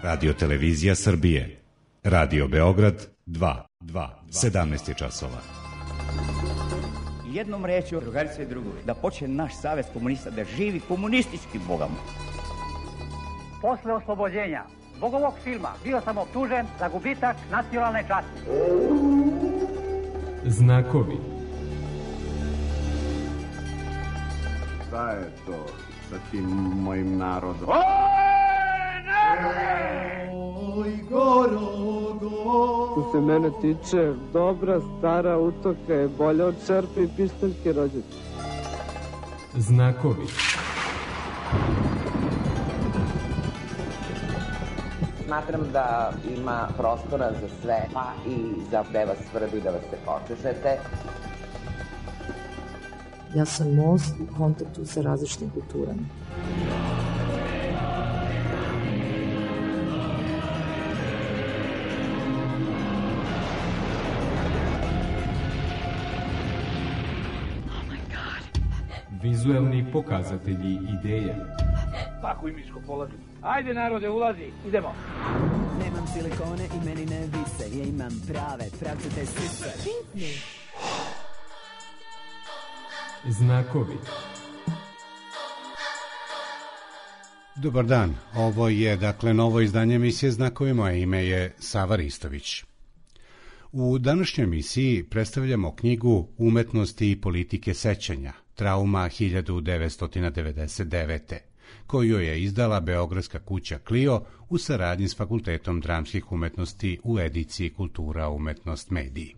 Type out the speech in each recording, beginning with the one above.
Radio Televizija Srbije. Radio Beograd 2, 17 je časova. Jednom rečju, drugarice i drugovi, da počne naš savez komunista, da živi komunistički, Boga mu. Posle oslobođenja zbog ovog filma bio sam optužen za gubitak nacionalne časti. Znakovi. Šta je to sa tim mojim narodom? Oj, Gorogo! Što se mene tiče, dobra stara utoka je bolja od čerpe i pištaljke rođete. Znakovi. Smatram da ima prostora za sve, pa i za gde vas tvrdi da vas se počešete. Ja sam most u kontaktu sa različitim kulturama. Vizuelni pokazatelji ideje. Tako i miško polazi. Ajde narode, ulazi, idemo. Nemam silikone i meni ne vise, ja imam prave, pravcate sise. Znakovi. Dobar dan, ovo je novo izdanje emisije Znakovi, moje ime je Sava Ristović. U današnjoj emisiji predstavljamo knjigu Umetnosti i politike sećanja, Trauma 1999. koju je izdala beogradska kuća Clio u saradnji s Fakultetom dramskih umetnosti u ediciji Kultura, umetnost, mediji.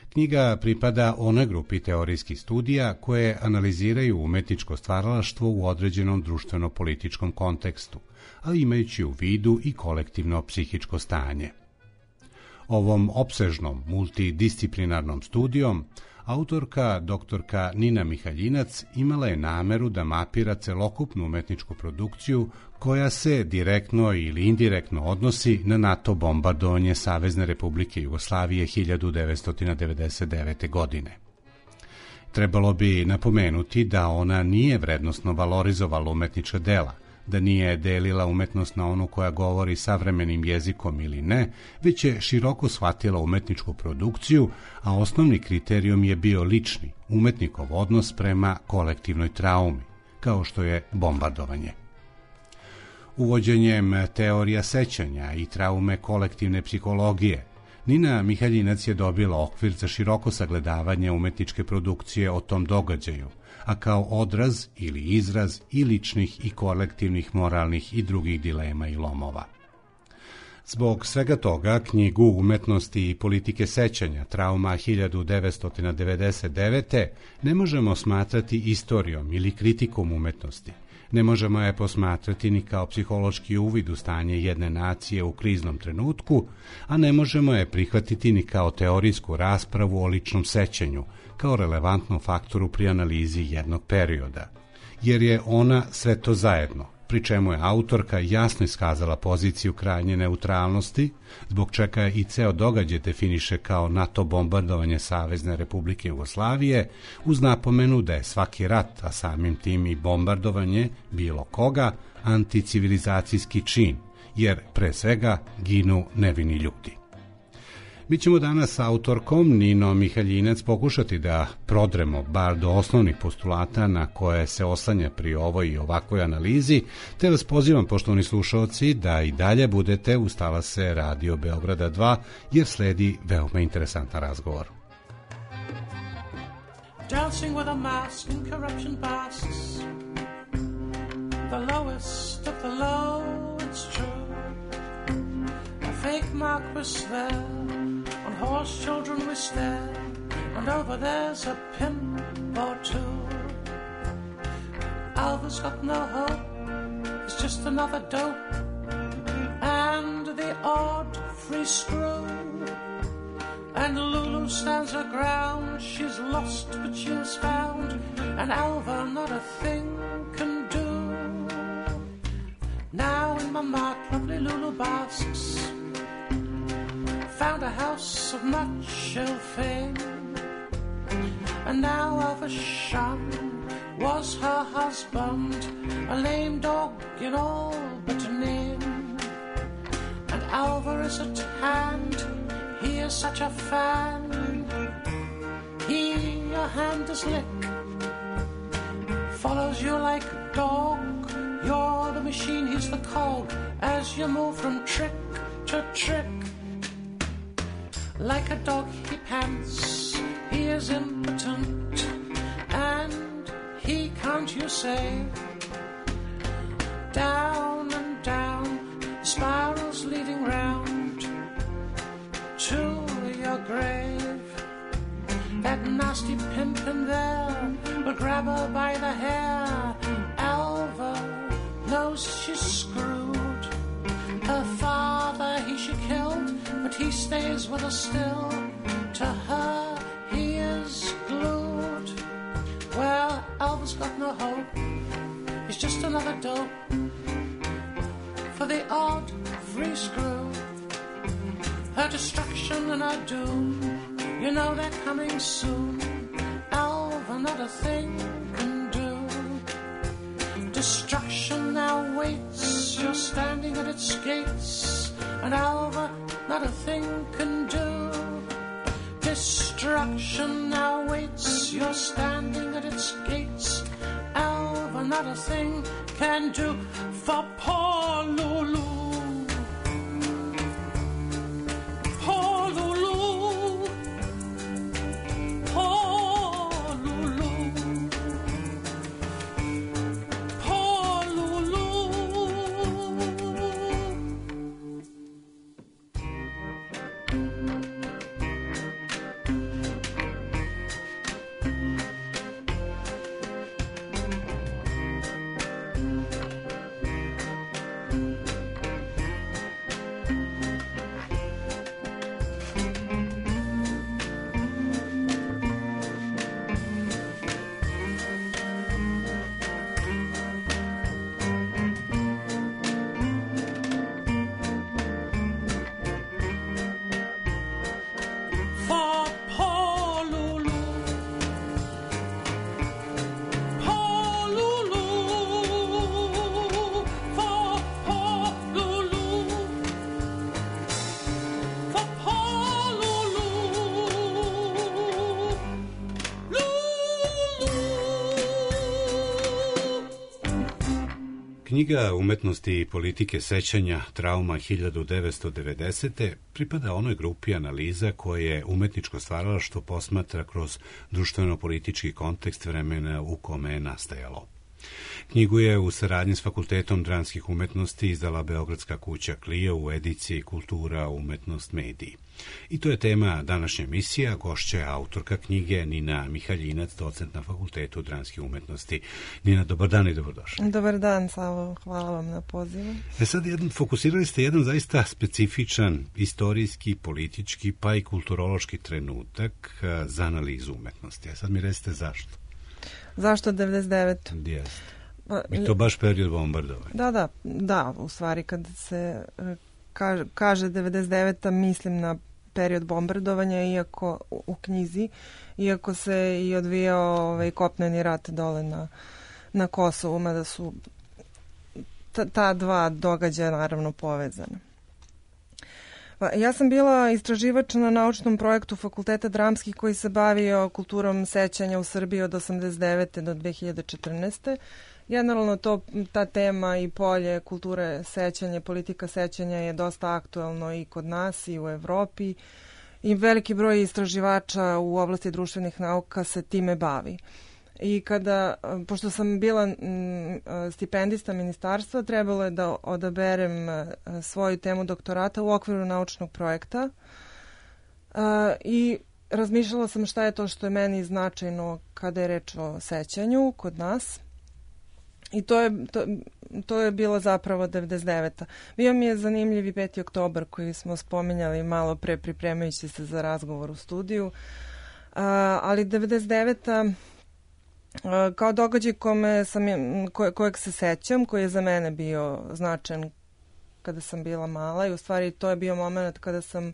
Knjiga pripada onoj grupi teorijskih studija koje analiziraju umetničko stvaralaštvo u određenom društveno-političkom kontekstu, ali imajući u vidu i kolektivno psihičko stanje. Ovom opsežnom multidisciplinarnom studijom autorka doktorka Nina Mihaljinac imala je nameru da mapira celokupnu umetničku produkciju koja se direktno ili indirektno odnosi na NATO bombardovanje Savezne Republike Jugoslavije 1999. godine. Trebalo bi napomenuti da ona nije vrednosno valorizovala umetnička dela, da nije delila umetnost na onu koja govori savremenim jezikom ili ne, već je široko shvatila umetničku produkciju, a osnovni kriterijum je bio lični, umetnikov odnos prema kolektivnoj traumi, kao što je bombardovanje. Uvođenjem teorija sećanja i traume kolektivne psihologije, Nina Mihaljinac je dobila okvir za široko sagledavanje umetničke produkcije o tom događaju, a kao odraz ili izraz i ličnih i kolektivnih moralnih i drugih dilema i lomova. Zbog svega toga, knjigu Umetnosti i politike sećanja, Trauma 1999. ne možemo smatrati istorijom ili kritikom umetnosti. Ne možemo je posmatrati ni kao psihološki uvid u stanje jedne nacije u kriznom trenutku, a ne možemo je prihvatiti ni kao teorijsku raspravu o ličnom sećanju, kao relevantnom faktoru pri analizi jednog perioda, jer je ona sve to zajedno, pri čemu je autorka jasno iskazala poziciju krajnje neutralnosti, zbog čega i ceo događaj definiše kao NATO bombardovanje Savezne Republike Jugoslavije, uz napomenu da je svaki rat, a samim tim i bombardovanje bilo koga, anticivilizacijski čin, jer pre svega ginu nevini ljudi. Mi ćemo danas sa autorkom Ninom Mihaljinac pokušati da prodremo bar do osnovnih postulata na koje se oslanja pri ovoj i ovakvoj analizi, te vas pozivam, poštovani slušaoci, da i dalje budete uz talase Radio Beograda 2, jer sledi veoma interesantan razgovor. Dancing with a mask and corruption passes, the lowest of the low, it's true. A fake mark was there, on horse children we stare, and over there's a pimp or two. Alva's got no hope, it's just another dope, and the odd free screw. And Lulu stands her ground, she's lost but she is found, and Alva not a thing can do. Now in my mart lovely Lulu basks, found a house of much ill fame, and now Alva Shum was her husband, a lame dog in all but a name. is at hand. He is such a fan. He your hand does lick, follows you like a dog. You're the machine, he's the cog, as you move from trick to trick. Like a dog he pants, he is impotent, and he can't, you say. Down and down, spirals leading round to your grave. That nasty pimp in there will grab her by the hair. Alva knows she's screwed. Her father she killed, but he stays with her still. To her he is glued. Well, Alva's got no hope. He's just another dope for the odd free screw. Her destruction and her doom, you know they're coming soon. Alva, not a thing can do. Destruction now waits, you're standing at its gates, and Alva, not a thing can do. Destruction now waits, you're standing at its gates, Alva, not a thing can do. For poor Lulu, poor Lulu, poor Lulu, poor Lulu. Knjiga Umetnosti i politike sećanja Trauma 1990. pripada onoj grupi analiza koje je umetničko stvaralaštvo posmatra kroz društveno-politički kontekst vremena u kome je nastajalo. Knjigu je u saradnji s Fakultetom dramskih umetnosti izdala Beogradska kuća Clio u ediciji Kultura, umetnost, mediji. I to je tema današnje emisije, gošća je autorka knjige Nina Mihaljinac, docent na Fakultetu dramskih umetnosti. Nina, dobar dan i dobrodošli. Dobar dan, Savo, hvala vam na pozivu. Sad fokusirali ste jedan zaista specifičan istorijski, politički, pa i kulturološki trenutak za analizu umetnosti. A sad mi recite zašto? Zašto 99? Jeste. I to baš period bombardovanja. Da, u stvari kad se kaže 99. mislim na period bombardovanja, iako u knjizi, iako se i odvijao kopneni rat dole na Kosovu, mada su ta dva događaja naravno povezana. Ja sam bila istraživač na naučnom projektu Fakulteta dramskih koji se bavio kulturom sećanja u Srbiji od 1989. do 2014. Generalno ta tema i polje kulture sećanja, politika sećanja je dosta aktuelno i kod nas i u Evropi i veliki broj istraživača u oblasti društvenih nauka se time bavi. I pošto sam bila stipendista ministarstva, trebalo je da odaberem svoju temu doktorata u okviru naučnog projekta i razmišljala sam šta je to što je meni značajno kada je reč o sećanju kod nas. I to je bilo zapravo 99. Bio mi je zanimljiv i 5. oktobar koji smo spominjali malo pre pripremajući se za razgovor u studiju, ali 99. kao događaj kojeg se sećam, koji je za mene bio značajan kada sam bila mala i u stvari to je bio moment kada sam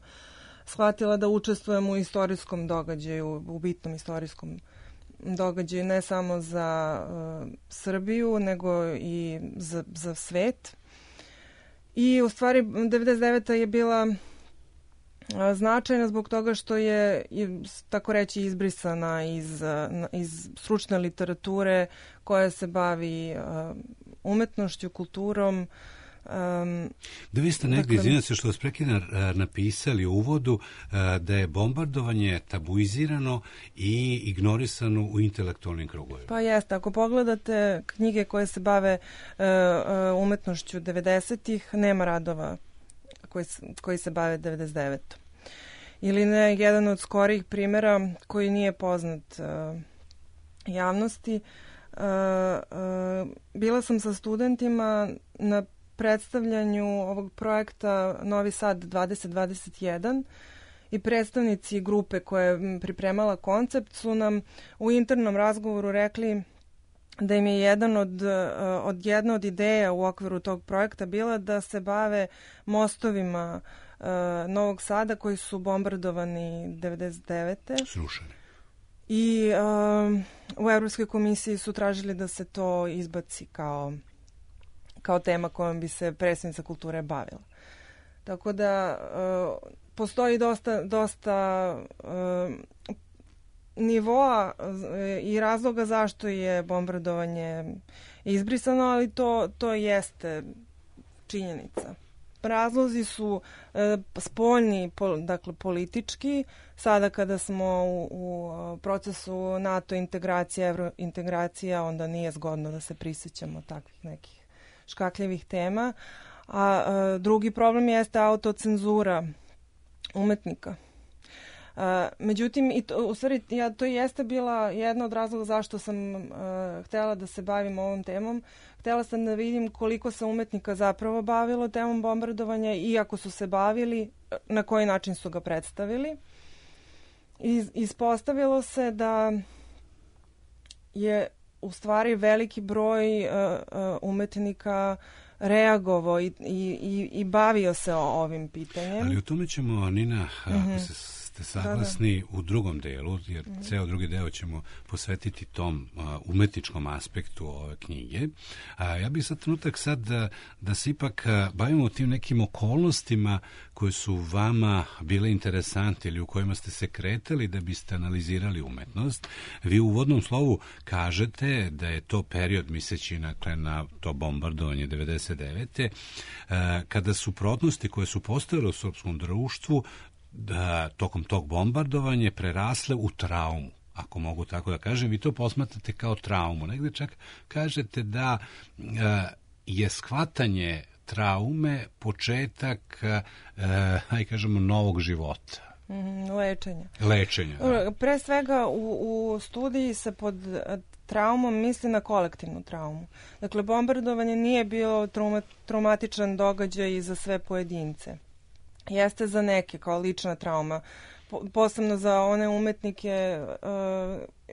shvatila da učestvujem u istorijskom događaju, u bitnom istorijskom događaju, ne samo za Srbiju, nego i za svet. I u stvari 99. je bila Značajna zbog toga što je, tako reći, izbrisana iz stručne literature koja se bavi umetnošću, kulturom. Da, vi ste negdje, izvinjam se što vas prekidam, napisali u uvodu da je bombardovanje tabuizirano i ignorisano u intelektualnim krugovima. Pa jeste, ako pogledate knjige koje se bave umetnošću 90-ih, nema radova koji se bave 99. Ili ne, jedan od skorijih primjera koji nije poznat javnosti. Bila sam sa studentima na predstavljanju ovog projekta Novi Sad 2021 i predstavnici grupe koja je pripremala koncept su nam u internom razgovoru rekli da im je jedna od ideja u okviru tog projekta bila da se bave mostovima Novog Sada koji su bombardovani 99. Srušeni. I u Evropskoj komisiji su tražili da se to izbaci kao tema kojom bi se predsjednica kulture bavila. Tako da postoji dosta nivoa i razloga zašto je bombardovanje izbrisano, ali to jeste činjenica. Razlozi su spoljni, dakle politički. Sada kada smo u procesu NATO integracija, evrointegracija, onda nije zgodno da se prisjećamo takvih nekih škakljivih tema. A drugi problem jeste autocenzura umetnika. Međutim, to jeste bila jedna od razloga zašto sam htjela da se bavim ovom temom. Htjela sam da vidim koliko se umetnika zapravo bavilo temom bombardovanja i ako su se bavili, na koji način su ga predstavili. Ispostavilo se da je u stvari veliki broj umetnika reagovao i bavio se ovim pitanjem. Ali o tome ćemo, Nina, ako ste saglasni, u drugom delu, jer ceo drugi deo ćemo posvetiti tom umetničkom aspektu ove knjige. Ja bih sad trenutak da se ipak bavimo tim nekim okolnostima koje su vama bile interesantne ili u kojima ste se kretali da biste analizirali umetnost. Vi u uvodnom slovu kažete da je to period, misleći na to bombardovanje 99. Kada suprotnosti koje su postojale u srpskom društvu tokom tog bombardovanja prerasle u traumu, ako mogu tako da kažem. Vi to posmatrate kao traumu. Negde čak kažete da je shvatanje traume početak, kažemo, novog života. Lečenja. Pre svega u studiji se pod traumom misli na kolektivnu traumu. Dakle, bombardovanje nije bilo traumatičan događaj za sve pojedince. Jeste za neke kao lična trauma, posebno za one umetnike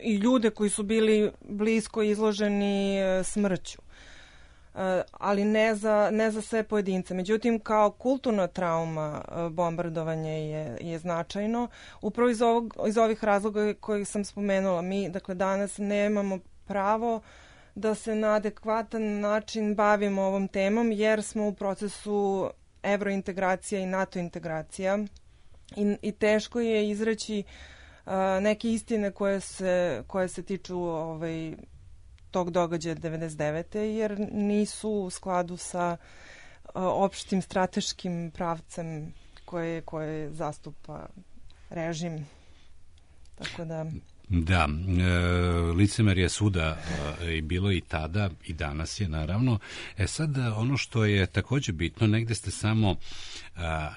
i ljude koji su bili blisko izloženi smrću, ali ne za sve pojedince. Međutim, kao kulturna trauma bombardovanje je značajno. Upravo iz ovih razloga kojih sam spomenula. Mi, dakle, danas nemamo pravo da se na adekvatan način bavimo ovom temom jer smo u procesu evrointegracija i NATO integracija i teško je izreći neke istine koje se tiču tog događaja 99. jer nisu u skladu sa opštim strateškim pravcem koje zastupa režim. Tako da... Da, licemerje svuda je bilo i tada i danas je, naravno. Sad ono što je također bitno, negde ste samo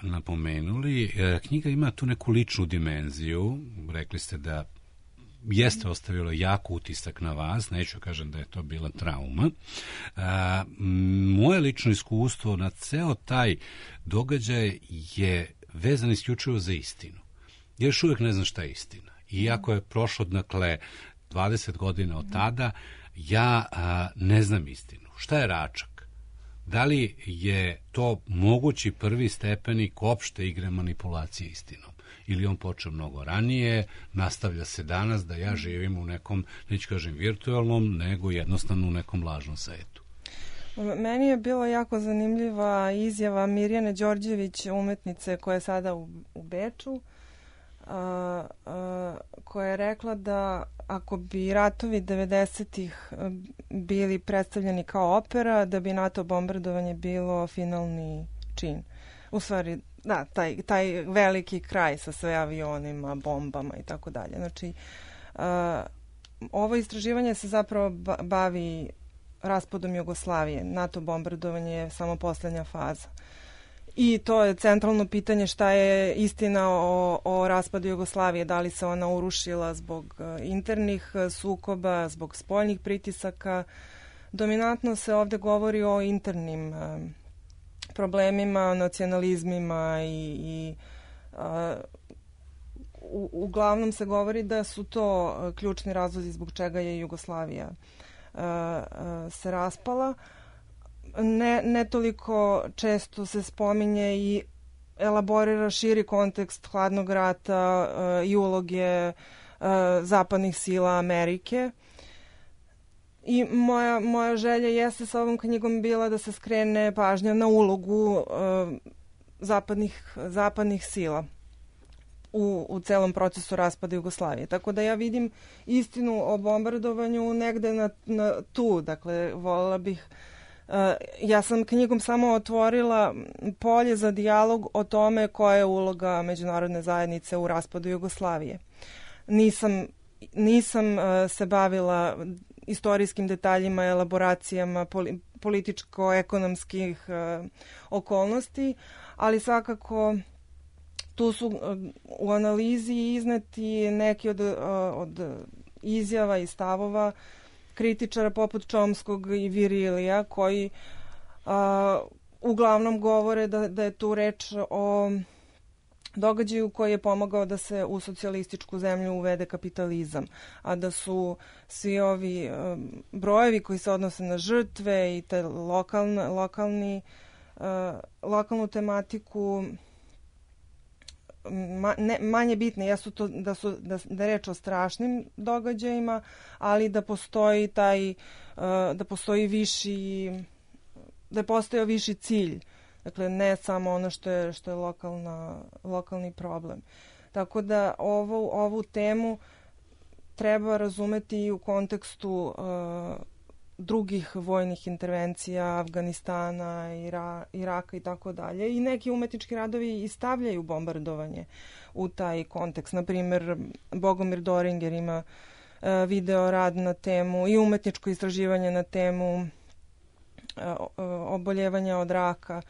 napomenuli, knjiga ima tu neku ličnu dimenziju. Rekli ste da jeste ostavilo jako utisak na vas, neću kažem da je to bila trauma. Moje lično iskustvo na ceo taj događaj je vezan isključivo za istinu. Još uvijek ne znam šta je istina. Iako je prošlo, dakle, 20 godina od tada, ja ne znam istinu. Šta je Račak? Da li je to mogući prvi stepenik opšte igre manipulacije istinom? Ili on počeo mnogo ranije, nastavlja se danas da ja živim u nekom, neću kažem virtualnom, nego jednostavno u nekom lažnom svetu? Meni je bila jako zanimljiva izjava Mirjane Đorđević, umetnice koja je sada u Beču, koja je rekla da ako bi ratovi 90-ih bili predstavljeni kao opera, da bi NATO bombardovanje bilo finalni čin. U stvari, da, taj veliki kraj sa sve avionima, bombama i tako dalje. Znači, ovo istraživanje se zapravo bavi raspadom Jugoslavije. NATO bombardovanje je samo poslednja faza. I to je centralno pitanje šta je istina o raspadu Jugoslavije. Da li se ona urušila zbog internih sukoba, zbog spoljnih pritisaka. Dominantno se ovde govori o internim problemima, nacionalizmima i uglavnom se govori da su to ključni razlozi zbog čega je Jugoslavija se raspala. Ne toliko često se spominje i elaborira širi kontekst hladnog rata i uloge zapadnih sila Amerike. I moja želja jeste sa ovom knjigom bila da se skrene pažnja na ulogu zapadnih sila u celom procesu raspada Jugoslavije. Tako da ja vidim istinu o bombardovanju negde tu. Dakle, voljela bih... Ja sam knjigom samo otvorila polje za dijalog o tome koja je uloga međunarodne zajednice u raspadu Jugoslavije. Nisam se bavila istorijskim detaljima, elaboracijama političko-ekonomskih okolnosti, ali svakako tu su u analizi izneti neki od izjava i stavova kritičara poput Čomskog i Virilija, koji uglavnom govore da je tu reč o događaju koji je pomogao da se u socijalističku zemlju uvede kapitalizam, a da su svi ovi brojevi koji se odnose na žrtve i te lokalnu tematiku manje bitne. Jesu to da je reč o strašnim događajima, ali da postoji da postoji da je postojao viši cilj. Dakle, ne samo ono što je lokalni problem. Tako da ovu temu treba razumeti i u kontekstu drugih vojnih intervencija, Afganistana, Iraka i tako dalje. I neki umetnički radovi i stavljaju bombardovanje u taj kontekst. Naprimer, Bogomir Doringer ima video rad na temu i umetničko istraživanje na temu oboljevanja od raka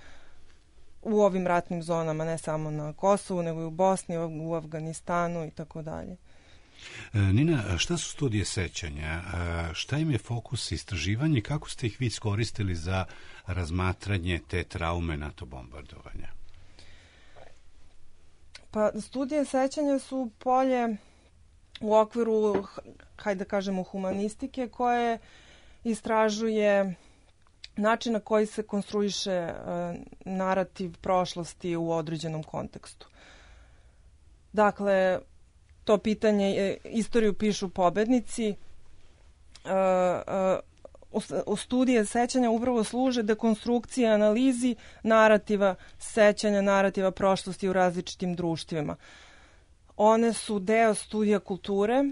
u ovim ratnim zonama, ne samo na Kosovu, nego i u Bosni, u Afganistanu i tako dalje. Nina, šta su studije sećanja? Šta im je fokus istraživanja i kako ste ih vi iskoristili za razmatranje te traume NATO bombardovanja? Pa, studije sećanja su polje u okviru, hajde da kažemo, humanistike, koje istražuje način na koji se konstruiše narativ prošlosti u određenom kontekstu. Dakle, to pitanje, istoriju pišu pobednici, u studije sećanja upravo služe dekonstrukcije, analizi narativa sećanja, narativa prošlosti u različitim društvima. One su deo studija kulture,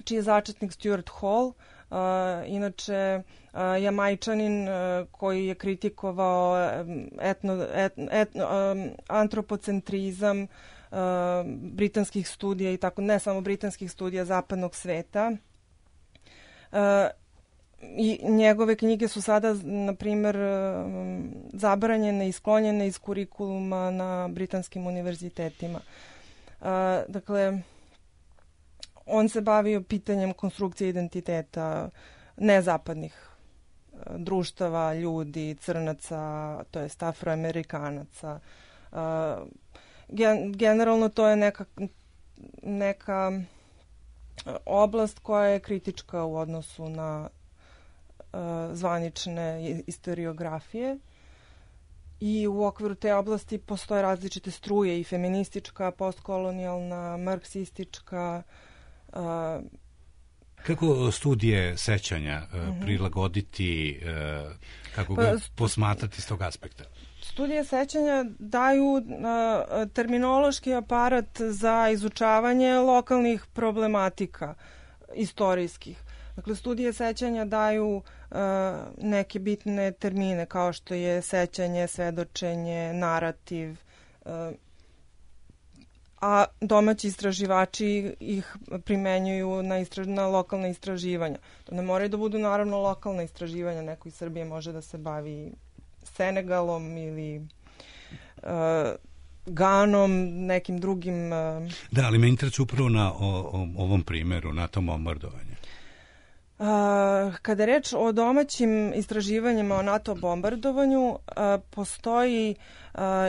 čiji je začetnik Stuart Hall, inače Jamajčanin koji je kritikovao antropocentrizam britanskih studija i tako, ne samo britanskih studija zapadnog sveta. I njegove knjige su sada, na primjer, zabranjene i sklonjene iz kurikuluma na britanskim univerzitetima. Dakle, on se bavio pitanjem konstrukcije identiteta nezapadnih društava, ljudi, crnaca, to jest afroamerikanaca. Generalno to je neka oblast koja je kritička u odnosu na zvanične istoriografije i u okviru te oblasti postoje različite struje, i feministička, postkolonijalna, marksistička. Kako studije sećanja prilagoditi, kako ga posmatrati s tog aspekta? Studije sećanja daju terminološki aparat za izučavanje lokalnih problematika istorijskih. Dakle, studije sećanja daju neke bitne termine kao što je sećanje, svedočenje, narativ, a domaći istraživači ih primenjuju na lokalne istraživanja. To ne moraju da budu naravno lokalna istraživanja, neko iz Srbije može da se bavi Senegalom ili Ganom, nekim drugim... Da, ali me interesuje upravo na ovom primjeru, na tom bombardovanju. Kada je reč o domaćim istraživanjima o NATO bombardovanju, postoji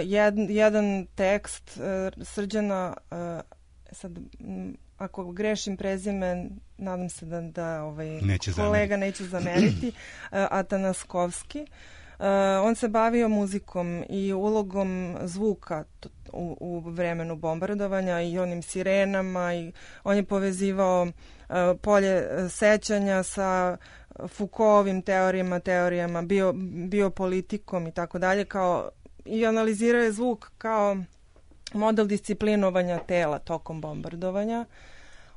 jedan tekst Srđana, sad ako grešim prezime, nadam se da kolega neće zameriti, Atanaskovski. On se bavio muzikom i ulogom zvuka u vremenu bombardovanja i onim sirenama, i on je povezivao polje sećanja sa Foucaultovim teorijama, biopolitikom i tako dalje, i analizirao je zvuk kao model disciplinovanja tela tokom bombardovanja,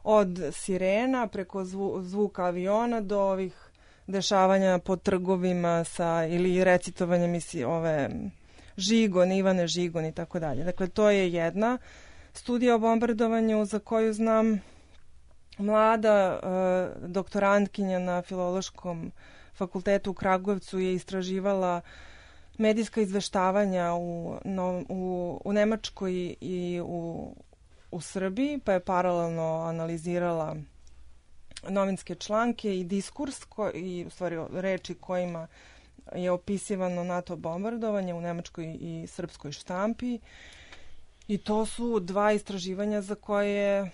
od sirena preko zvuka aviona do ovih dešavanja po trgovima ili recitovanjem Ivane Žigon i tako dalje. Dakle, to je jedna studija o bombardovanju za koju znam. Mlada doktorantkinja na Filološkom fakultetu u Kragujevcu je istraživala medijska izveštavanja u Nemačkoj i u Srbiji, pa je paralelno analizirala novinske članke i diskurs i u stvari reči kojima je opisivano NATO bombardovanje u nemačkoj i srpskoj štampi, i to su dva istraživanja za koje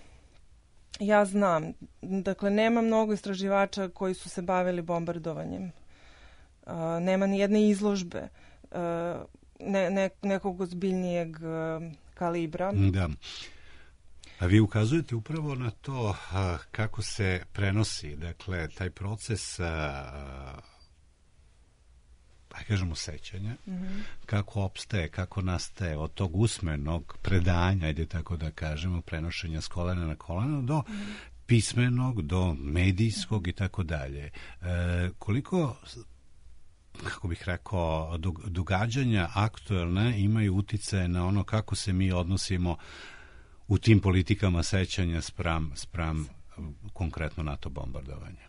ja znam. Dakle, nema mnogo istraživača koji su se bavili bombardovanjem. Nema ni jedne izložbe nekog ozbiljnijeg kalibra. Da. A vi ukazujete upravo na to kako se prenosi, dakle, taj proces, kažemo, sećanja, kako opstaje, kako nastaje od tog usmenog predanja, ajde tako da kažemo, prenošenja s kolena na koleno, do pismenog, do medijskog i tako dalje. Koliko, kako bih rekao, događanja aktuelne imaju uticaje na ono kako se mi odnosimo u tim politikama sećanja spram konkretno NATO bombardovanja?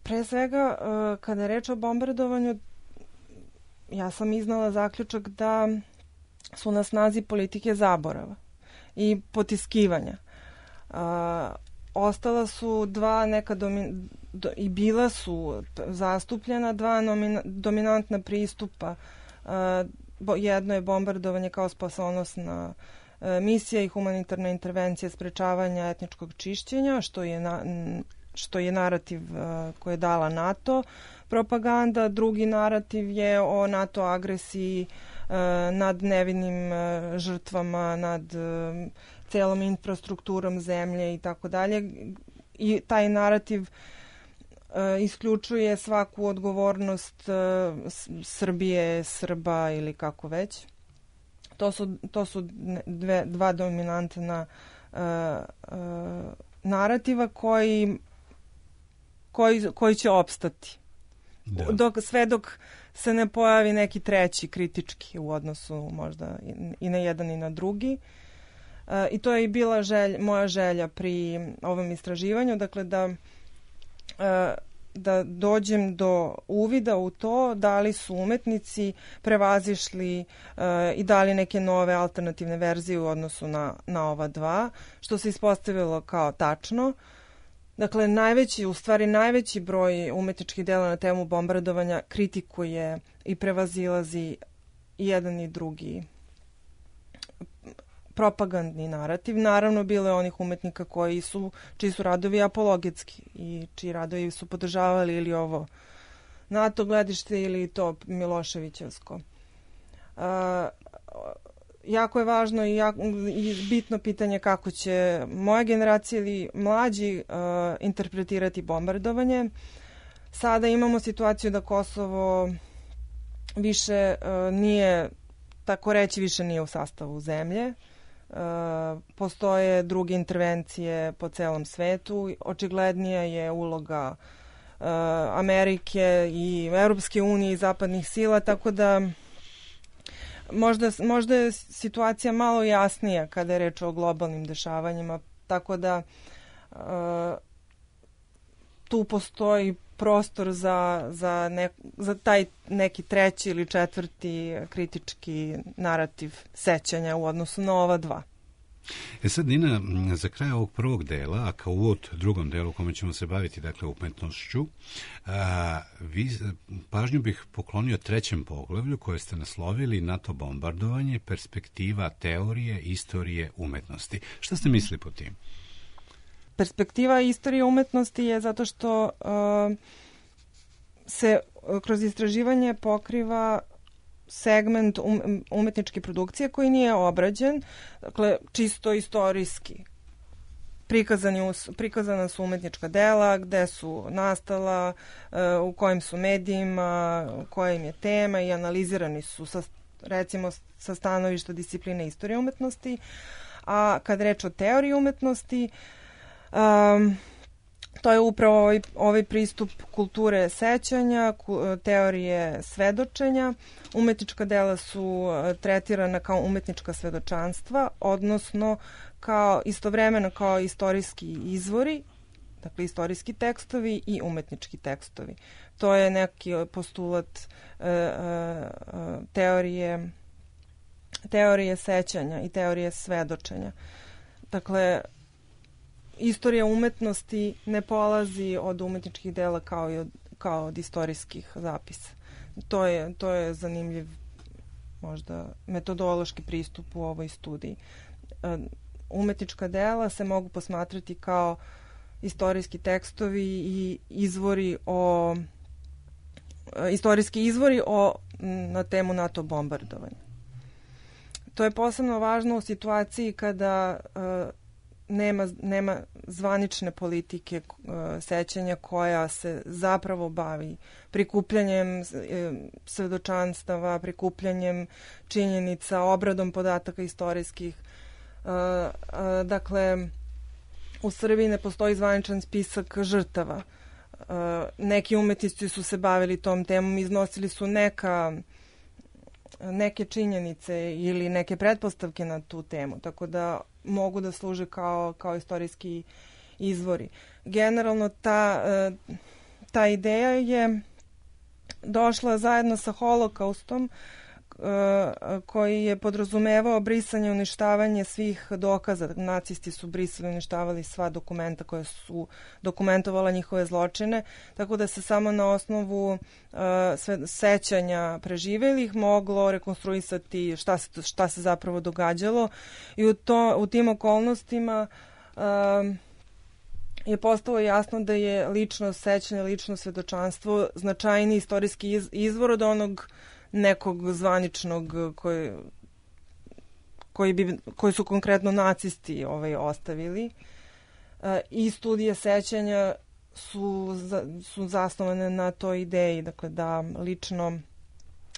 Pre svega, kada je reč o bombardovanju, ja sam iznala zaključak da su na snazi politike zaborava i potiskivanja. Ostala su dva i bila su zastupljena dva dominantna pristupa. Jedno je bombardovanje kao spasonosna misija i humanitarna intervencija sprečavanja etničkog čišćenja, što je narativ koji je dala NATO propaganda. Drugi narativ je o NATO agresiji nad nevinim žrtvama, nad celom infrastrukturom zemlje i tako dalje. I taj narativ isključuje svaku odgovornost Srbije, Srba ili kako već. To su dva dominantna narativa koji će opstati. Sve dok se ne pojavi neki treći kritički u odnosu možda i na jedan i na drugi. I to je i bila moja želja pri ovom istraživanju, dakle da dođem do uvida u to da li su umetnici prevazišli i dali neke nove alternativne verzije u odnosu na ova dva, što se ispostavilo kao tačno. Dakle, najveći broj umetničkih dela na temu bombardovanja kritikuje i prevazilazi jedan i drugi propagandni narativ. Naravno, bilo je onih umetnika čiji su radovi apologetski i čiji radovi su podržavali ili ovo NATO gledište ili to Miloševićevsko. Jako je važno i bitno pitanje kako će moja generacija ili mlađi interpretirati bombardovanje. Sada imamo situaciju da Kosovo više nije, tako reći, više nije u sastavu zemlje. Postoje druge intervencije po celom svetu. Očiglednija je uloga Amerike i Europske unije i zapadnih sila, tako da možda je situacija malo jasnija kada je reč o globalnim dešavanjima, tako da tu postoji prostor za taj neki treći ili četvrti kritički narativ sećanja u odnosu na ova dva. Sad, Nina, za kraj ovog prvog dela, a kao uvod drugom delu u kome ćemo se baviti, dakle, umetnošću, pažnju bih poklonio trećem poglavlju koje ste naslovili NATO bombardovanje, perspektiva teorije, istorije, umetnosti. Šta ste mislili po tim? Perspektiva istorije umetnosti je zato što se kroz istraživanje pokriva segment umetničke produkcije koji nije obrađen, dakle čisto istorijski. Prikazana su umetnička dela, gde su nastala, u kojim su medijima, koja im je tema i analizirani su recimo sa stanovišta discipline istorije umetnosti. A kad reč o teoriji umetnosti, to je upravo ovaj pristup kulture sećanja, teorije svedočenja. Umetnička dela su tretirana kao umetnička svedočanstva, odnosno istovremeno kao istorijski izvori, dakle istorijski tekstovi i umetnički tekstovi. To je neki postulat teorije sećanja i teorije svedočenja. Dakle, istorija umetnosti ne polazi od umetničkih dela kao od istorijskih zapisa. To je zanimljiv možda metodološki pristup u ovoj studiji. Umetnička dela se mogu posmatrati kao istorijski tekstovi i istorijski izvori na temu NATO bombardovanja. To je posebno važno u situaciji kada nema zvanične politike sećanja koja se zapravo bavi prikupljanjem svedočanstava, prikupljanjem činjenica, obradom podataka istorijskih. Dakle, u Srbiji ne postoji zvaničan spisak žrtava. Neki umetnici su se bavili tom temom, iznosili su neke činjenice ili neke pretpostavke na tu temu, tako da mogu da služe kao istorijski izvori. Generalno ta ideja je došla zajedno sa Holokaustom, koji je podrazumevao brisanje i uništavanje svih dokaza. Nacisti su brisali i uništavali sva dokumenta koja su dokumentovala njihove zločine, tako da se samo na osnovu sećanja preživelih moglo rekonstruisati šta se zapravo događalo i u tim okolnostima je postalo jasno da je lično sećanje, lično svedočanstvo značajniji istorijski izvor od onog nekog zvaničnog koji su konkretno nacisti ostavili. I studije sećanja su zasnovane na toj ideji, dakle da lično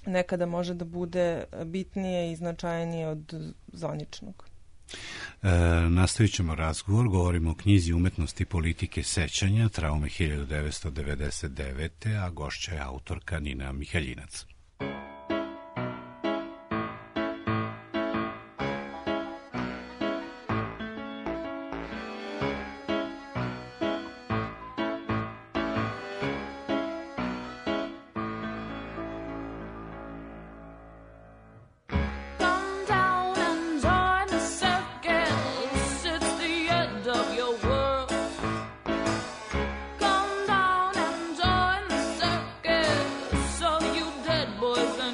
nekada može da bude bitnije i značajnije od zvaničnog. Nastavit ćemo razgovor, govorimo o knjizi Umetnosti politike sećanja, Traume 1999. a gošća je autorka Nina Mihaljinac. Boys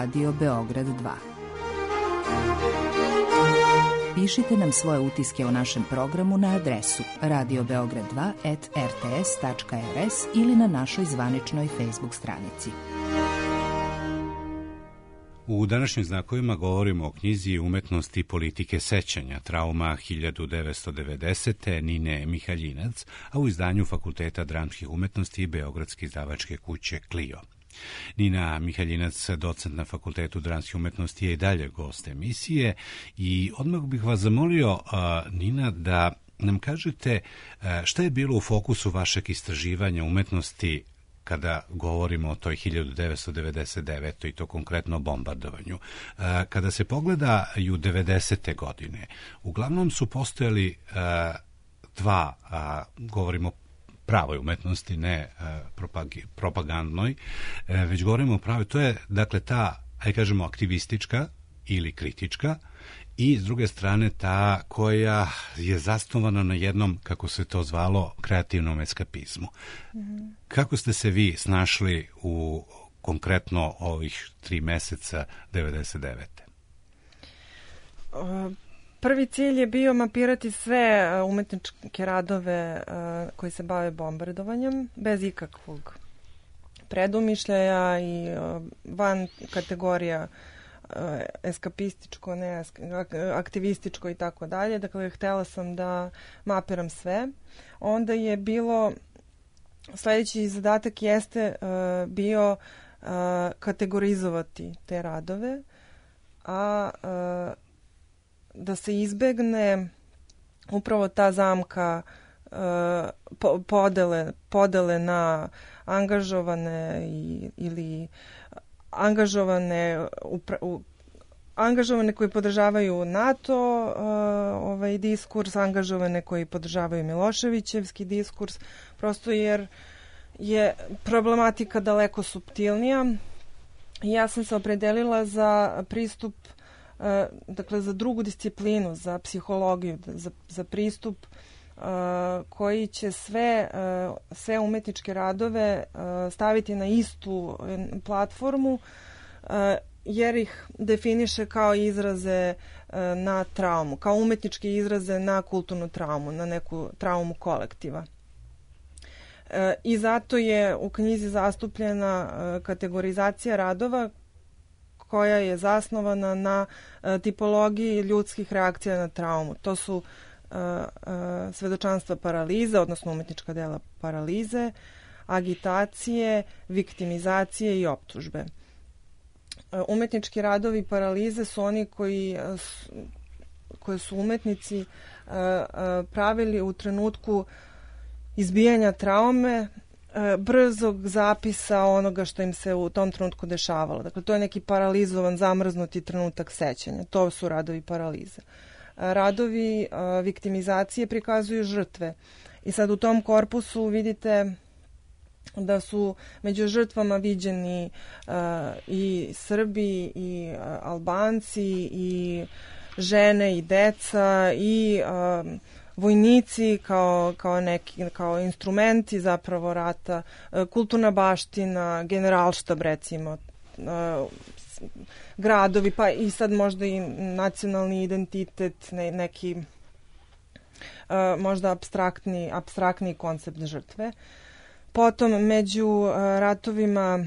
Radio Beograd 2. Pišite nam svoje utiske o našem programu na adresu radiobeograd2@rts.rs ili na našoj zvaničnoj Facebook stranici. U današnjim znakovima govorimo o knjizi Umetnosti politike sećanja, trauma 1990. Nine Mihaljinac, a u izdanju Fakulteta dramskih umetnosti i Beogradske izdavačke kuće Clio. Nina Mihaljinac, docent na Fakultetu dramskih umetnosti, je i dalje gost emisije i odmah bih vas zamolio, Nina, da nam kažete šta je bilo u fokusu vašeg istraživanja umetnosti kada govorimo o toj 1999. i to konkretno bombardovanju. Kada se pogledaju 90. godine, uglavnom su postojali dva, govorimo pravoj umetnosti, ne propagandnoj, već govorimo o pravoj, to je dakle ta, ajde kažemo, aktivistička ili kritička, i s druge strane ta koja je zasnovana na jednom, kako se to zvalo, kreativnom eskapizmu. Kako ste se vi snašli u konkretno ovih 3 meseca 99. Prvi cilj je bio mapirati sve umetničke radove koji se bave bombardovanjem, bez ikakvog predumišljaja i van kategorija eskapističko, ne aktivističko i tako dalje. Dakle, htjela sam da mapiram sve. Onda je bilo, sljedeći zadatak jeste bio kategorizovati te radove, a da se izbegne upravo ta zamka podele na angažovane ili angažovane koji podržavaju NATO diskurs, angažovane koji podržavaju Miloševićevski diskurs, prosto jer je problematika daleko suptilnija. Ja sam se opredelila za pristup, dakle za drugu disciplinu, za psihologiju, za pristup koji će sve umetničke radove staviti na istu platformu, jer ih definiše kao izraze na traumu, kao umetničke izraze na kulturnu traumu, na neku traumu kolektiva. I zato je u knjizi zastupljena kategorizacija radova koja je zasnovana na tipologiji ljudskih reakcija na traumu. To su svedočanstva paralize, odnosno umetnička dela paralize, agitacije, viktimizacije i optužbe. Umetnički radovi paralize su oni koje su umetnici pravili u trenutku izbijanja traume, brzog zapisa onoga što im se u tom trenutku dešavalo. Dakle, to je neki paralizovan, zamrznuti trenutak sećanja. To su radovi paralize. Radovi viktimizacije prikazuju žrtve. I sad u tom korpusu vidite da su među žrtvama viđeni i Srbi, i Albanci, i žene, i deca, i vojnici kao instrumenti zapravo rata, kulturna baština, generalštab recimo, gradovi, pa i sad možda i nacionalni identitet, neki možda apstraktni koncept žrtve. Potom među ratovima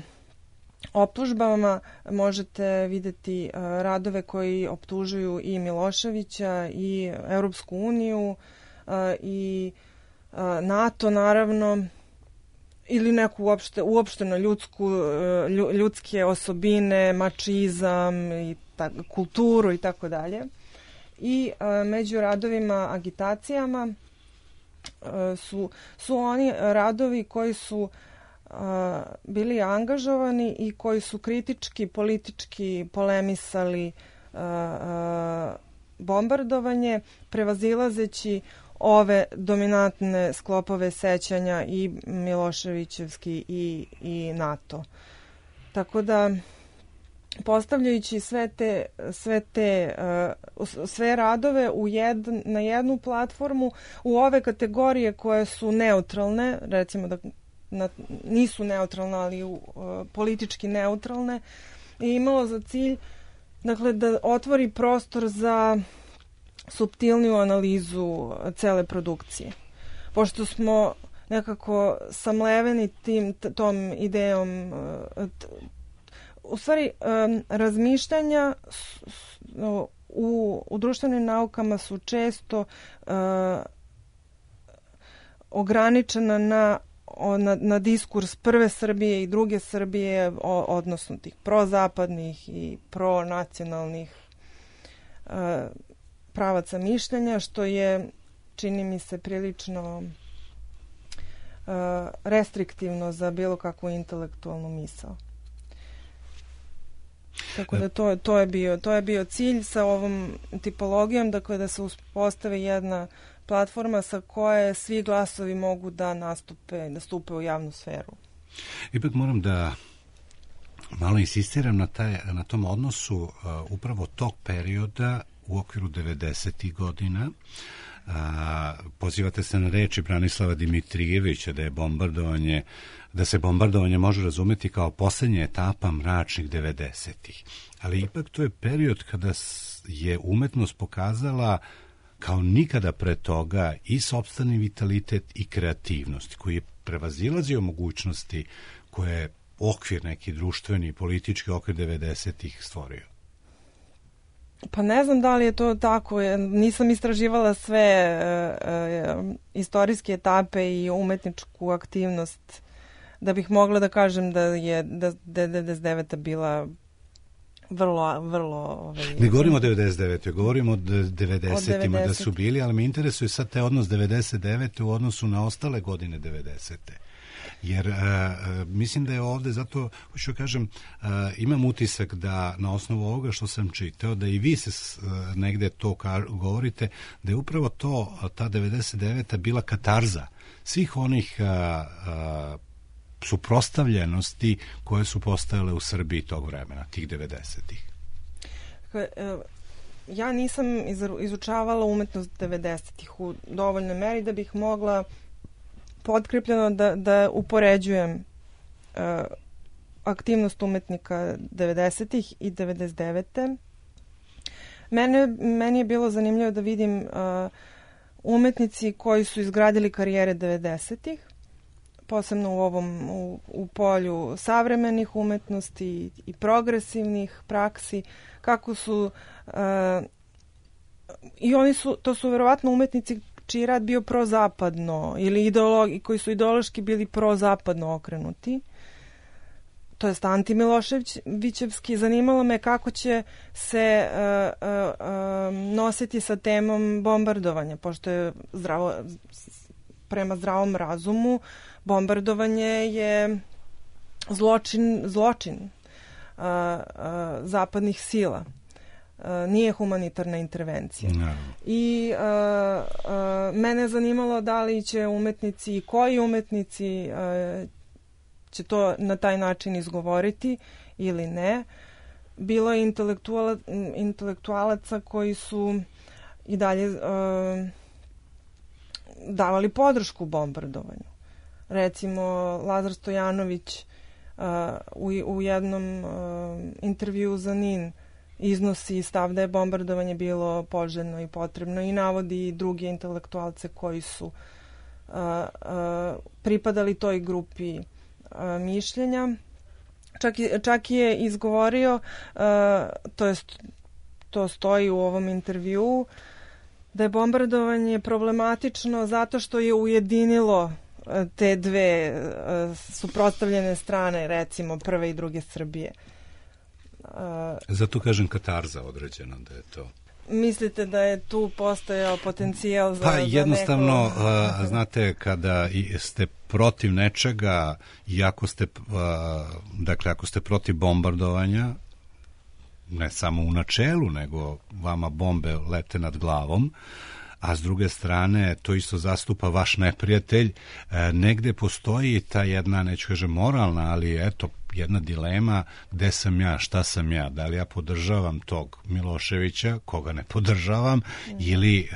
optužbama možete vidjeti radove koji optužuju i Miloševića i Europsku uniju i NATO naravno, ili neku uopšteno ljudske osobine, mačizam, i kulturu i tako dalje. I među radovima agitacijama su oni radovi koji su bili angažovani i koji su kritički, politički polemisali bombardovanje, prevazilazeći ove dominantne sklopove sećanja i Miloševićevski i NATO. Tako da, postavljajući sve radove na jednu platformu, u ove kategorije koje su neutralne, recimo da nisu neutralne, ali politički neutralne, je imalo za cilj dakle, da otvori prostor za suptilniju analizu cele produkcije. Pošto smo nekako samleveni tom idejom, u stvari razmišljanja u društvenim naukama su često ograničena na diskurs prve Srbije i druge Srbije, odnosno tih prozapadnih i pronacionalnih pravaca mišljenja, što je, čini mi se, prilično restriktivno za bilo kakvu intelektualnu misao. Tako da to je bio cilj sa ovom tipologijom, dakle da se uspostavi jedna platforma sa koje svi glasovi mogu da stupe u javnu sferu. Ipak moram da malo insistiram na tom odnosu upravo tog perioda u okviru 90. godina. Pozivate se na reči Branislava Dimitrijevića da se bombardovanje može razumeti kao posljednja etapa mračnih 90-ih. Ali ipak to je period kada je umetnost pokazala kao nikada pre toga i sopstveni vitalitet i kreativnost, koji je prevazilazio mogućnosti koje je okvir, neki društveni i politički okvir 90-ih stvorio. Pa ne znam da li je to tako. Nisam istraživala sve istorijske etape i umetničku aktivnost da bih mogla da kažem da je 99. bila vrlo... Ne govorimo o 99. Govorimo o 90-ima da su bili, ali me interesuje sad taj odnos 99. u odnosu na ostale godine 90. Jer mislim da je ovde, zato hoću kažem, imam utisak da na osnovu ovoga što sam čitao, da i vi se negde to govorite, da je upravo ta 99. bila katarza svih onih suprotstavljenosti koje su postojale u Srbiji tog vremena, tih 90-ih. Ja nisam izučavala umetnost 90-ih u dovoljnoj meri da bih mogla potkrepljeno da upoređujem aktivnost umetnika 90-ih i 99. Meni je bilo zanimljivo da vidim umetnici koji su izgradili karijere 90-ih, posebno u polju savremenih umetnosti i progresivnih praksi, kako su i to su verovatno umetnici čiji rad bio prozapadno ili koji su ideološki bili prozapadno okrenuti, to jest antimiloševićevski. Zanimalo me kako će se nositi sa temom bombardovanja, pošto je prema zdravom razumu bombardovanje je zločin zapadnih sila. Nije humanitarna intervencija. No. I mene je zanimalo da li će umetnici i koji umetnici će to na taj način izgovoriti ili ne. Bilo je intelektualaca koji su i dalje davali podršku bombardovanju. Recimo, Lazar Stojanović u jednom intervjuu za NIN iznosi stav da je bombardovanje bilo poželjno i potrebno i navodi druge intelektualce koji su pripadali toj grupi mišljenja. Čak je izgovorio, to stoji u ovom intervjuu, da je bombardovanje problematično zato što je ujedinilo te dve suprotstavljene strane, recimo prve i druge Srbije. Zato kažem katarza određena da je to. Mislite da je tu postojao potencijal za jednostavno, znate, kada ste protiv nečega i ako ste protiv bombardovanja, ne samo u načelu, nego vama bombe lete nad glavom, a s druge strane to isto zastupa vaš neprijatelj, negde postoji ta jedna, neću kažem moralna, ali eto, jedna dilema, gde sam ja, šta sam ja, da li ja podržavam tog Miloševića, koga ne podržavam, ili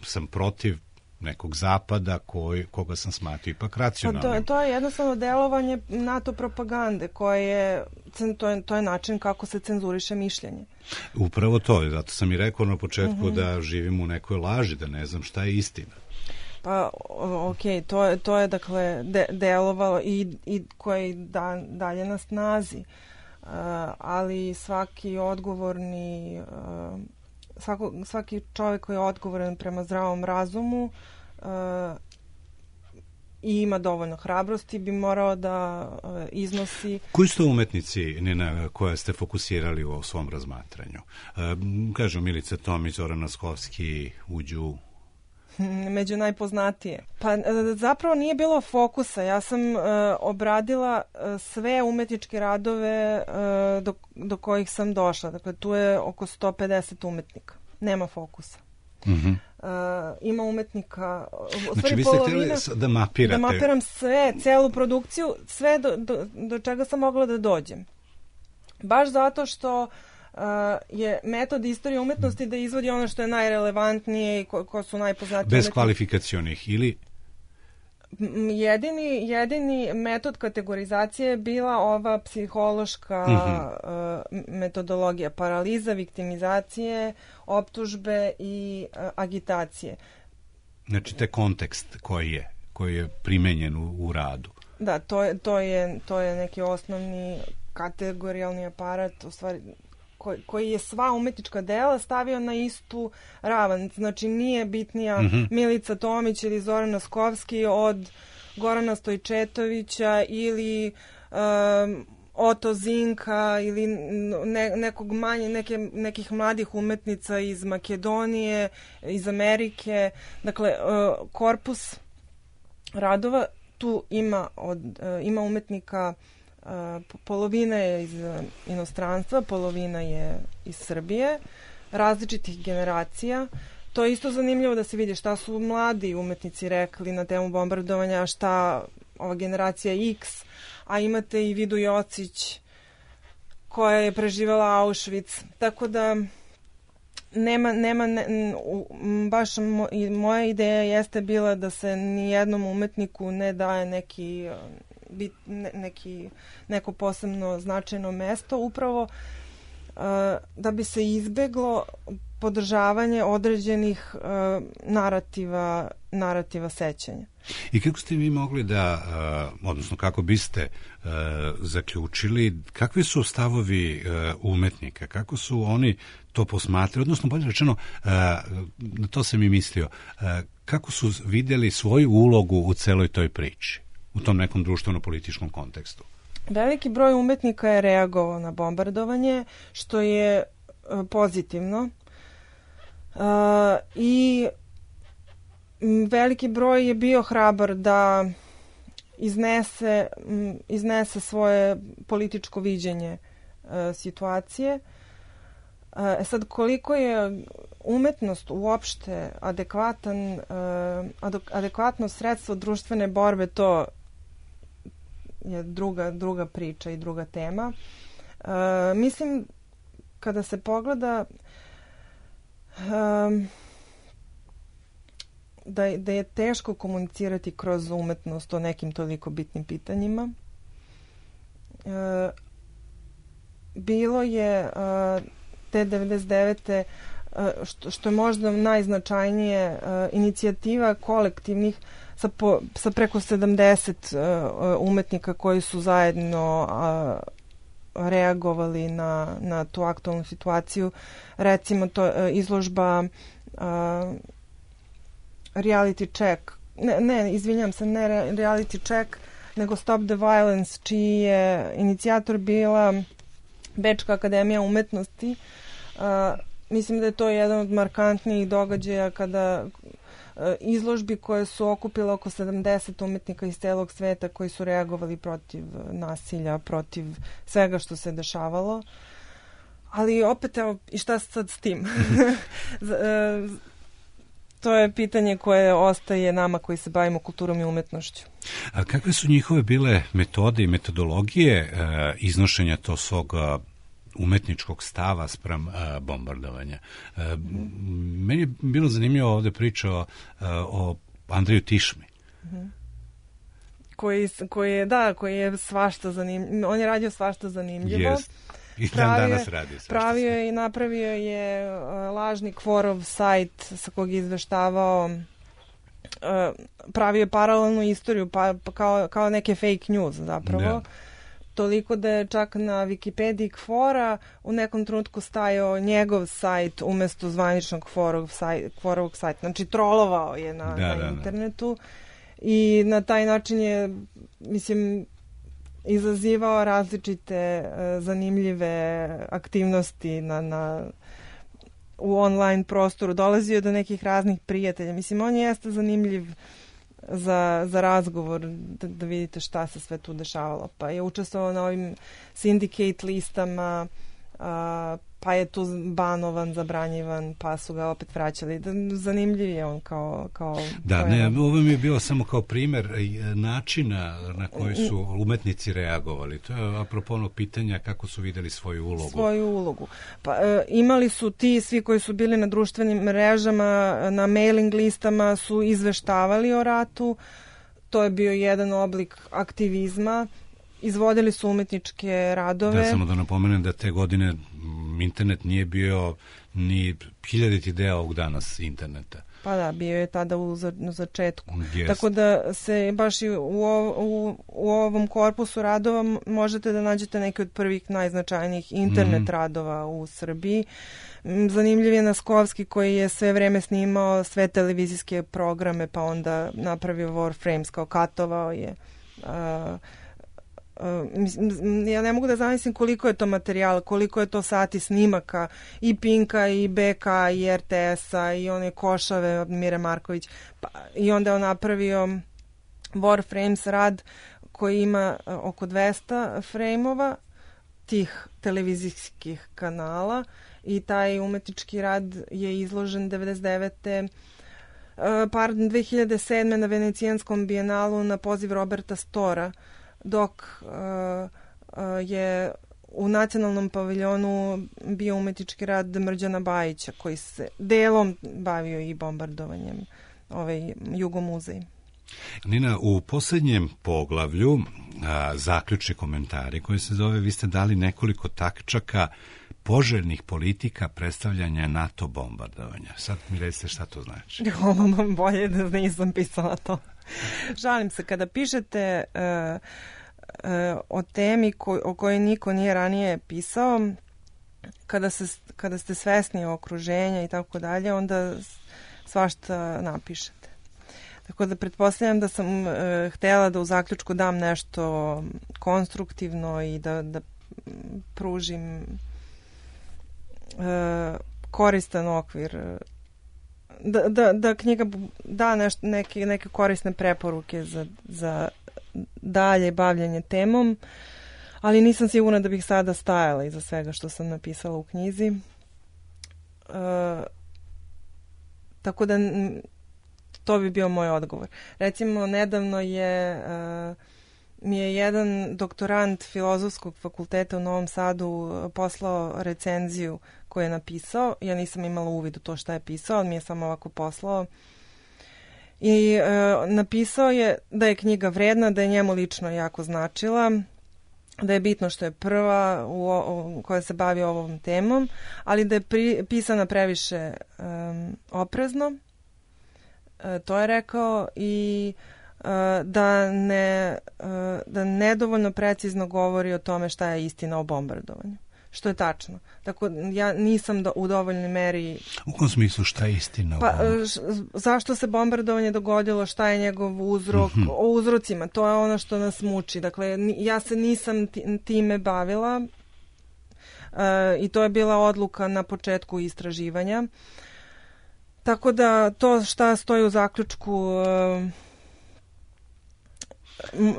sam protiv nekog zapada koga sam smatio ipak racionalnim. To je jednostavno delovanje NATO propagande koje to je način kako se cenzuriše mišljenje. Upravo to, zato sam i rekao na početku da živim u nekoj laži, da ne znam šta je istina. Pa, okej, to je dakle delovalo i koje dalje na snazi. Ali svaki odgovorni, svaki čovjek koji je odgovoran prema zdravom razumu i ima dovoljno hrabrosti bi morao da iznosi... Koji su to umetnici, Nina, koje ste fokusirali u svom razmatranju? Kažu Milica Tomić, Zoran Naskovski, uđu... među najpoznatije. Pa zapravo nije bilo fokusa. Ja sam obradila sve umetničke radove do kojih sam došla. Dakle, tu je oko 150 umetnika. Nema fokusa. Ima umetnika... Znači, vi ste htjeli da mapirate? Da mapiram sve, celu produkciju, sve do čega sam mogla da dođem. Baš zato što je metod istorije umetnosti da izvodi ono što je najrelevantnije i ko su najpoznatiji. Bez kvalifikacionih ili? Jedini metod kategorizacije je bila ova psihološka metodologija, paraliza, viktimizacije, optužbe i agitacije. Znači, te kontekst koji je primenjen u radu. Da, to je neki osnovni kategorijalni aparat, u stvari koji je sva umetnička dela stavio na istu ravan. Znači, nije bitnija Milica Tomić ili Zoran Naskovski od Gorana Stojčetovića ili Oto Zinka ili nekih mladih umetnica iz Makedonije, iz Amerike. Dakle, korpus radova tu ima umetnika. Polovina je iz inostranstva, polovina je iz Srbije, različitih generacija. To je isto zanimljivo da se vidi šta su mladi umetnici rekli na temu bombardovanja, šta ova generacija X, a imate i Vidu Jocić koja je preživjela Auschwitz. Tako da baš moja ideja jeste bila da se nijednom umetniku ne daje neko posebno značajno mesto, upravo da bi se izbeglo podržavanje određenih narativa sećanja. I kako ste vi mogli da, odnosno kako biste zaključili, kakvi su stavovi umetnika, kako su oni to posmatrali, odnosno bolje rečeno, na to sam i mislio, kako su vidjeli svoju ulogu u celoj toj priči, u tom nekom društveno-političkom kontekstu? Veliki broj umetnika je reagovao na bombardovanje, što je pozitivno. I veliki broj je bio hrabar da iznese svoje političko viđenje situacije. Sad, koliko je umetnost uopšte adekvatno sredstvo društvene borbe, to je druga priča i druga tema. Mislim, kada se pogleda da je teško komunicirati kroz umetnost o nekim toliko bitnim pitanjima. Bilo je te 99. što je možda najznačajnije inicijativa kolektivnih sa preko 70 umetnika koji su zajedno reagovali na tu aktualnu situaciju. Recimo, to izložba Reality Check, ne Reality Check, nego Stop the Violence, čiji je inicijator bila Bečka akademija umetnosti. Mislim da je to jedan od markantnijih događaja kada izložbi koje su okupile oko 70 umetnika iz celog sveta koji su reagovali protiv nasilja, protiv svega što se dešavalo. Ali opet, evo, i šta sad s tim? To je pitanje koje ostaje nama koji se bavimo kulturom i umetnošću. A kakve su njihove bile metode i metodologije iznošenja tog svog umetničkog stava spram bombardovanja? Meni je bilo zanimljivo ovdje priča o Andreju Tišmi. Koji je svašta zanimljivo. On je radio svašta zanimljivo. Yes. I danas radi svašta. Pravio je i napravio je lažni Kvorov sajt sa kog je izveštavao, pravio je paralelnu istoriju, pa kao neke fake news zapravo. Da. Toliko da je čak na Wikipediji Kvora u nekom trenutku stajao njegov sajt umesto zvaničnog Kvorovog sajta. Znači, trolovao je na internetu i na taj način je, mislim, izazivao različite zanimljive aktivnosti u online prostoru. Dolazio do nekih raznih prijatelja. Mislim, on jeste zanimljiv za razgovor, da vidite šta se sve tu dešavalo. Pa je učestvovao na ovim syndicate listama, pa je tu banovan, zabranjivan, pa su ga opet vraćali. Zanimljiv je on kao da, ne, ovo mi je bilo samo kao primjer načina na koji su umetnici reagovali. To je apropo onog pitanja kako su videli svoju ulogu. Pa, imali su ti svi koji su bili na društvenim mrežama, na mailing listama su izveštavali o ratu. To je bio jedan oblik aktivizma. Izvodili su umetničke radove. Da, samo da napomenem da te godine internet nije bio ni 1000 deo ovog danas interneta. Pa da, bio je tada na začetku. Yes. Tako da se baš i u ovom korpusu radova možete da nađete neke od prvih najznačajnijih internet radova u Srbiji. Zanimljiv je Naskovski koji je sve vreme snimao sve televizijske programe, pa onda napravio Warframes, kao katovao je. Ja ne mogu da zamislim koliko je to materijala, koliko je to sati snimaka i Pinka i BK i RTS-a i one Košave, Mire Marković, i onda je on napravio Warframes rad koji ima oko 200 frame-ova tih televizijskih kanala i taj umetnički rad je izložen 2007. na Venecijanskom bijenalu na poziv Roberta Stora, dok je u nacionalnom paviljonu bio umetnički rad Mrđana Bajića, koji se delom bavio i bombardovanjem Jugomuzej. Nina, u posljednjem poglavlju zaključni komentari koji se zove, vi ste dali nekoliko tačaka poželjnih politika predstavljanja NATO bombardovanja. Sad mi recite šta to znači. Bolje da nisam pisala to. Žalim se, kada pišete o temi o kojoj niko nije ranije pisao, kada ste svesni okruženja i tako dalje, onda svašta napišete. Tako da pretpostavljam da sam htjela da u zaključku dam nešto konstruktivno i da pružim koristan okvir, da knjiga da neke korisne preporuke za dalje bavljanje temom, ali nisam sigurna da bih sada stajala iza svega što sam napisala u knjizi. Tako da to bi bio moj odgovor. Recimo, nedavno mi je jedan doktorant Filozofskog fakulteta u Novom Sadu poslao recenziju koju je napisao. Ja nisam imala uvid u to šta je pisao, ali mi je samo ovako poslao. I napisao je da je knjiga vredna, da je njemu lično jako značila, da je bitno što je prva koja se bavi ovom temom, ali da je pisana previše oprezno. To je rekao, i da nedovoljno precizno govori o tome šta je istina o bombardovanju. Što je tačno. Tako, ja nisam u dovoljnoj meri... U kom smislu šta je istina? Zašto se bombardovanje dogodilo, šta je njegov uzrok, o uzrocima, to je ono što nas muči. Dakle, ja se nisam time bavila i to je bila odluka na početku istraživanja. Tako da to šta stoji u zaključku...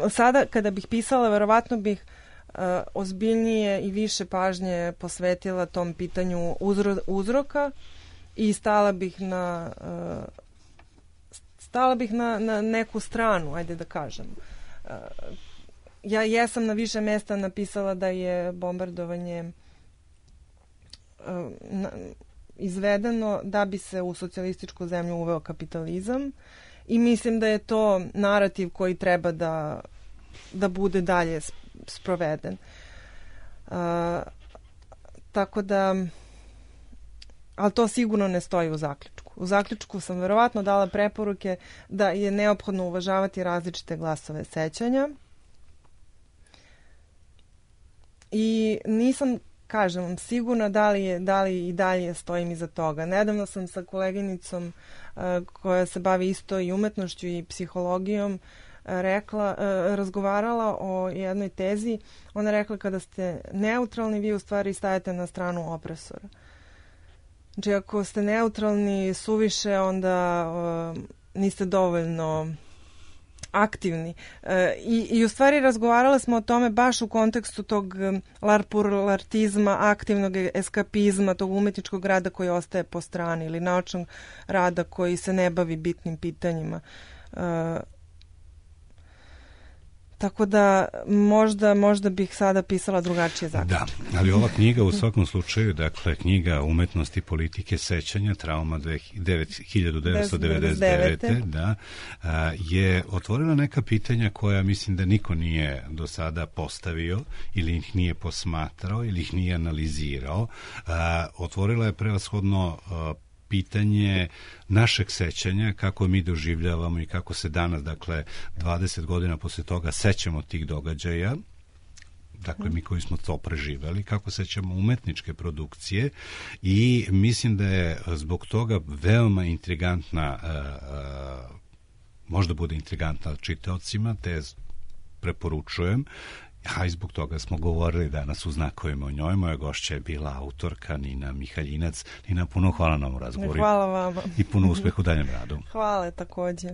Sada, kada bih pisala, verovatno bih ozbiljnije i više pažnje posvetila tom pitanju uzroka i stala bih na neku stranu, ajde da kažem. Ja jesam na više mesta napisala da je bombardovanje izvedeno da bi se u socijalističku zemlju uveo kapitalizam i mislim da je to narativ koji treba da bude dalje sproveden. Tako da, ali to sigurno ne stoji u zaključku. U zaključku sam verovatno dala preporuke da je neophodno uvažavati različite glasove sećanja i nisam, kažem, sigurna da li i dalje stojim iza toga. Nedavno sam sa koleginicom koja se bavi isto i umetnošću i psihologijom razgovarala o jednoj tezi. Ona rekla, kada ste neutralni, vi u stvari stajete na stranu opresora. Znači, ako ste neutralni suviše, onda niste dovoljno aktivni. I u stvari razgovarali smo o tome baš u kontekstu tog larpurlartizma, aktivnog eskapizma, tog umetničkog rada koji ostaje po strani ili naučnog rada koji se ne bavi bitnim pitanjima. Tako da možda bih sada pisala drugačije zaključke. Da, ali ova knjiga u svakom slučaju, dakle, knjiga Umetnosti politike sećanja, Trauma 1999. Da, je otvorila neka pitanja koja mislim da niko nije do sada postavio ili ih nije posmatrao ili ih nije analizirao. Otvorila je prevashodno pitanje našeg sećanja, kako mi doživljavamo i kako se danas, dakle, 20 godina posle toga sećamo tih događaja, dakle, mi koji smo to preživeli, kako sećamo umetničke produkcije i mislim da je zbog toga veoma intrigantna, možda bude intrigantna čitaocima, te preporučujem. A i zbog toga smo govorili danas u znakovima o njoj. Moja gošća je bila autorka Nina Mihaljinac. Nina, puno hvala na ovom razgovoru. Hvala vama. I puno uspeha u daljem radu. Hvala takođe.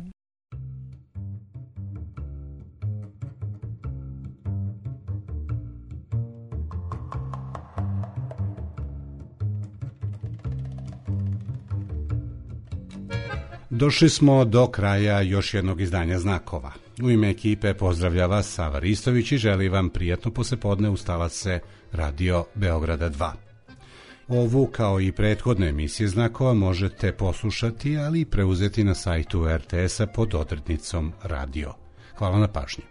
Došli smo do kraja još jednog izdanja Znakova. U ime ekipe pozdravlja vas Sava Ristović i želi vam prijatno poslepodne uz talase Radio Beograda 2. Ovu, kao i prethodne emisije Znakova, možete poslušati, ali i preuzeti na sajtu RTS-a pod odrednicom Radio. Hvala na pažnji.